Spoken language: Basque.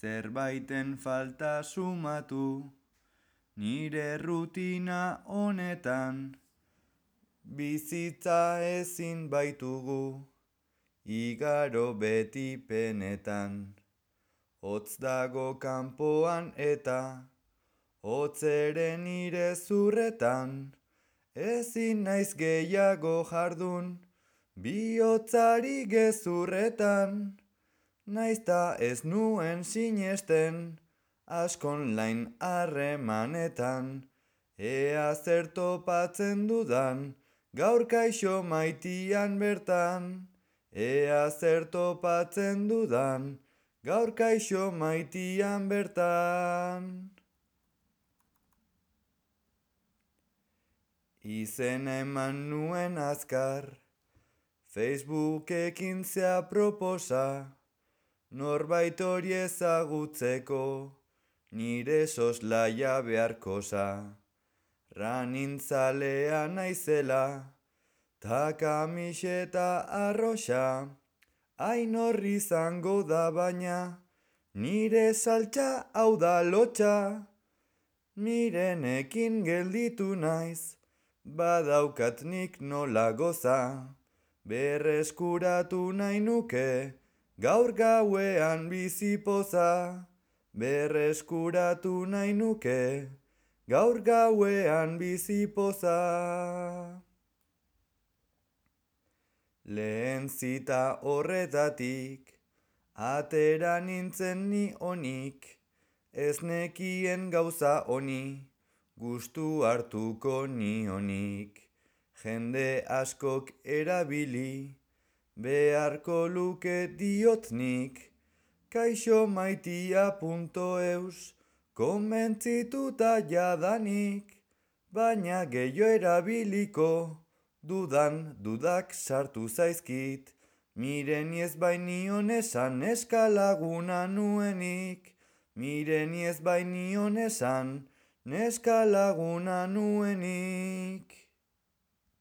Zerbaiten falta sumatu, nire rutina honetan, bizitza ezin baitugu, igaro beti penetan. Hotz dago kanpoan eta, hotz ere nire zurretan, ezin naiz gehiago jardun, bihotzari gezurretan. Naizta ez nuen sinesten, askon lain harremanetan, ea zer topatzen dudan, gaur kaixo maitian bertan. Ea zer topatzen dudan, gaur kaixo maitian bertan. Izena eman nuen azkar, Facebookekin zea proposa, norbait hori ezagutzeko, nire soslaia beharkosa. Ranintzalea naizela, ta kamiseta arroxa, hain horri izango da baina, nire saltxa hau da lotxa. Mirenekin gelditu naiz, badaukat nik nola goza, berreskuratu nahi nuke, gaur gauean bizipoza. Berreskuratu nahi nuke, gaur gauean bizipoza. Lehen zita horretatik, atera nintzen ni onik, ez nekien gauza honi, gustu hartuko nionik. Jende askok erabili, beharko luke diotnik, kaixomaitia.eus, konbentzituta jadanik, baina gehiago erabiliko, dudak sartu zaizkit, mireni ez bainion esan neskalaguna nuenik, mireni ez bainion esan neskalaguna nuenik.